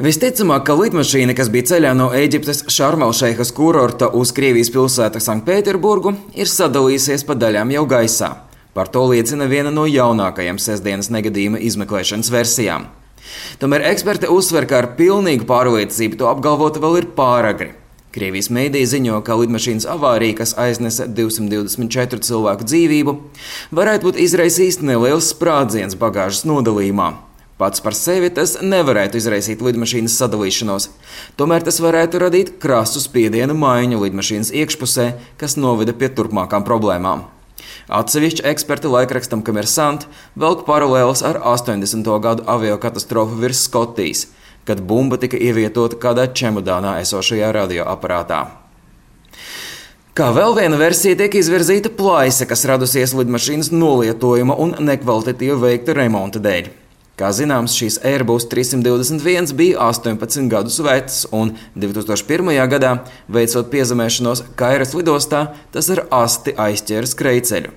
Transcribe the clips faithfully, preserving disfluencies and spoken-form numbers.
Visticamāk, ka lidmašīna, kas bija ceļā no Ēģiptes Šarm-el-Šeihas kurorta uz Krievijas pilsētu Sanktpēterburgu, ir sadalījusies pa daļām jau gaisā. Par to liecina viena no jaunākajām sestdienas negadījuma izmeklēšanas versijām. Tomēr eksperti uzsver, ka ar pilnīgu pārliecību to apgalvot vēl ir pāragri. Krievijas mēdī ziņo, ka lidmašīnas avārija, kas aiznesa divsimt divdesmit četru cilvēku dzīvību, varētu būt izraisījis neliels sprādziens bagāžas nodalījumā. Pats par sevi tas nevarētu izraisīt lidmašīnas sadalīšanos, tomēr tas varētu radīt krasu spiedienu maiņu lidmašīnas iekšpusē, kas noveda pie turpmākām problēmām. Atsevišķi eksperti laikrakstam Kommersant velk paralēlus ar astoņdesmito gadu aviokatastrofu virs Skotijas, kad bumba tika ievietota kādā čemodānā esošajā radioaparātā. Kā vēl viena versija tiek izvirzīta plaisa, kas radusies lidmašīnas nolietojuma un nekvalitatīvi veikta remonta dēļ. Kā zināms, šīs Airbus trīssimt divdesmit viens bija astoņpadsmit gadus vecs, un divi tūkstoši pirmajā gadā, veicot piezemēšanos Kairas lidostā, tas ar asti aizķēra skrejceļu.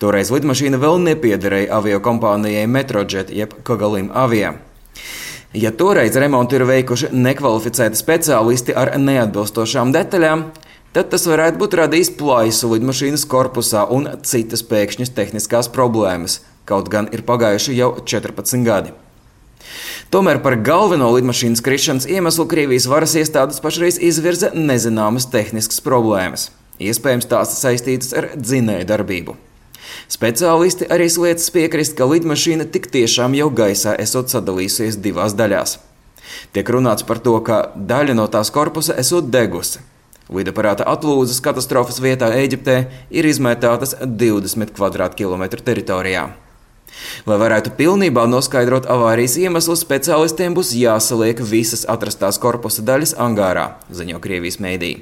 Toreiz lidmašīna vēl nepiederēja aviokompānijai Metrojet jeb Kogalim Avia. Ja toreiz remontu ir veikuši nekvalificēti speciālisti ar neatbilstošām detaļām, tad tas varētu būt radījis plaisu lidmašīnas korpusā un citas pēkšņas tehniskās problēmas, kaut gan ir pagājuši jau četrpadsmit gadi. Tomēr par galveno lidmašīnas krišanas iemeslu Krievijas varas iestādes pašreiz izvirza nezināmas tehniskas problēmas. Iespējams, tās saistītas ar dzinēju darbību. Speciālisti arī liecas piekrist, ka lidmašīna tik tiešām jau gaisā esot sadalījusies divās daļās. Tiek runāts par to, ka daļa no tās korpusa esot degusi. Lidaparāta atlūzas katastrofas vietā Ēģiptē ir izmētātas divdesmit kvadrātkilometru teritorijā. Lai varētu pilnībā noskaidrot avārijas iemeslu, speciālistiem būs jāsaliek visas atrastās korpusa daļas angārā, ziņo Krievijas mēdī.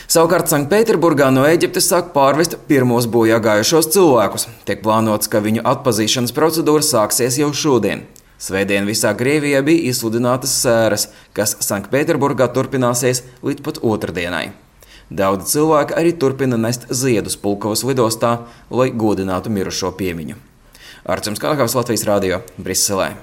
Savukārt Sanktpēterburgā no Ēģiptes sāk pārvest pirmos bojā gājušos cilvēkus. Tiek plānots, ka viņu atpazīšanas procedūra sāksies jau šodien. Svētdien visā Krievijā bija izsludinātas sēras, kas Sanktpēterburgā turpināsies līdz pat otrdienai. Daudzi cilvēki arī turpina nest ziedus Pulkovas lidostā, lai godinātu mirušo piemiņu. Artjums Kalakavs, Latvijas radio, Briselē.